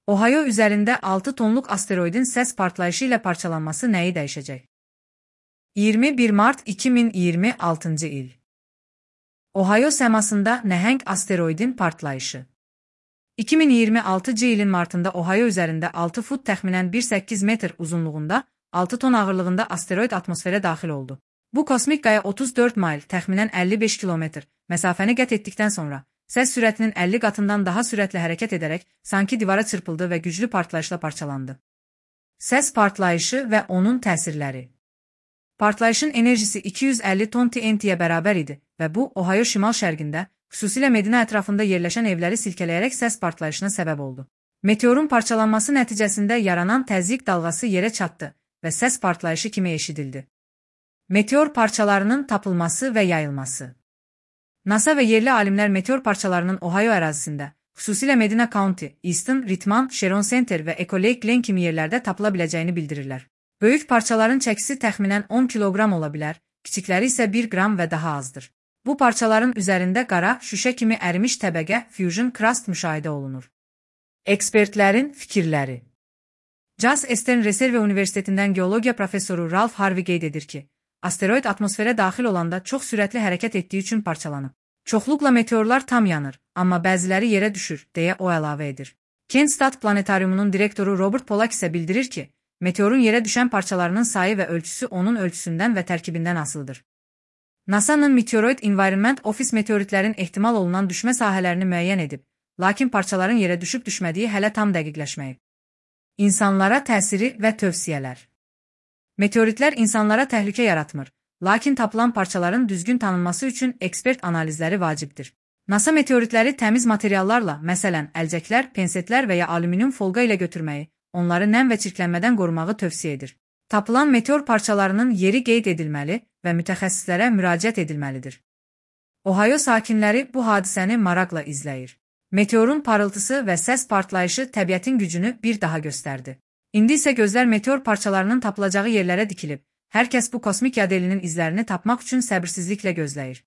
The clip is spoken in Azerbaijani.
Ohio üzərində 6 tonluq asteroidin səs partlayışı ilə parçalanması nəyi dəyişəcək? 21 mart 2026-cı il. Ohio səmasında nəhəng asteroidin partlayışı. 2026-cı ilin martında Ohio üzərində 6 fut təxminən 1,8 metr uzunluğunda, 6 ton ağırlığında asteroid atmosferə daxil oldu. Bu kosmik qaya 34 mayl, təxminən 55 kilometr məsafəni qət etdikdən sonra, səs sürətinin 50 qatından daha sürətlə hərəkət edərək sanki divara çırpıldı və güclü partlayışla parçalandı. Səs partlayışı və onun təsirləri. Partlayışın enerjisi 250 ton TNT-yə bərabər idi və bu, Ohio şimal-şərqində, xüsusilə Medina ətrafında yerləşən evləri silkələyərək səs partlayışına səbəb oldu. Meteorun parçalanması nəticəsində yaranan təzyiq dalğası yerə çatdı və səs partlayışı kimi eşidildi. Meteor parçalarının tapılması və yayılması. NASA və yerli alimlər meteor parçalarının Ohio ərazisində, xüsusilə Medina County, Easton, Richmond, Sharon Center və Echo Lake Glen kimi yerlərdə tapıla biləcəyini bildirirlər. Böyük parçaların çəkisi təxminən 10 kiloqram ola bilər, kiçikləri isə 1 qram və daha azdır. Bu parçaların üzərində qara, şüşə kimi ərimiş təbəqə, fusion crust müşahidə olunur. Ekspertlərin fikirləri. Jas Eastern Reserve Universitetindən geologiya professoru Ralph Harvey qeyd edir ki, asteroid atmosferə daxil olanda çox sürətli hərəkət etdiyi üçün parçalanıb. Çoxluqla meteorlar tam yanır, amma bəziləri yerə düşür, deyə o əlavə edir. Kent State Planetariumunun direktoru Robert Pollack isə bildirir ki, meteorun yerə düşən parçalarının sayı və ölçüsü onun ölçüsündən və tərkibindən asılıdır. NASA-nın Meteoroid Environment Office meteoritlərin ehtimal olunan düşmə sahələrini müəyyən edib, lakin parçaların yerə düşüb düşmədiyi hələ tam dəqiqləşməyib. İnsanlara təsiri və tövsiyələr. Meteoritlər insanlara təhlükə yaratmır, lakin tapılan parçaların düzgün tanınması üçün ekspert analizləri vacibdir. NASA meteoritləri təmiz materiallarla, məsələn, əlcəklər, pensetlər və ya alüminium folqa ilə götürməyi, onları nəm və çirklənmədən qorumağı tövsiyə edir. Tapılan meteor parçalarının yeri qeyd edilməli və mütəxəssislərə müraciət edilməlidir. Ohio sakinləri bu hadisəni maraqla izləyir. Meteorun parıltısı və səs partlayışı təbiətin gücünü bir daha göstərdi. İndi isə gözlər meteor parçalarının tapılacağı yerlərə dikilib, hər kəs bu kosmik yadelinin izlərini tapmaq üçün səbirsizliklə gözləyir.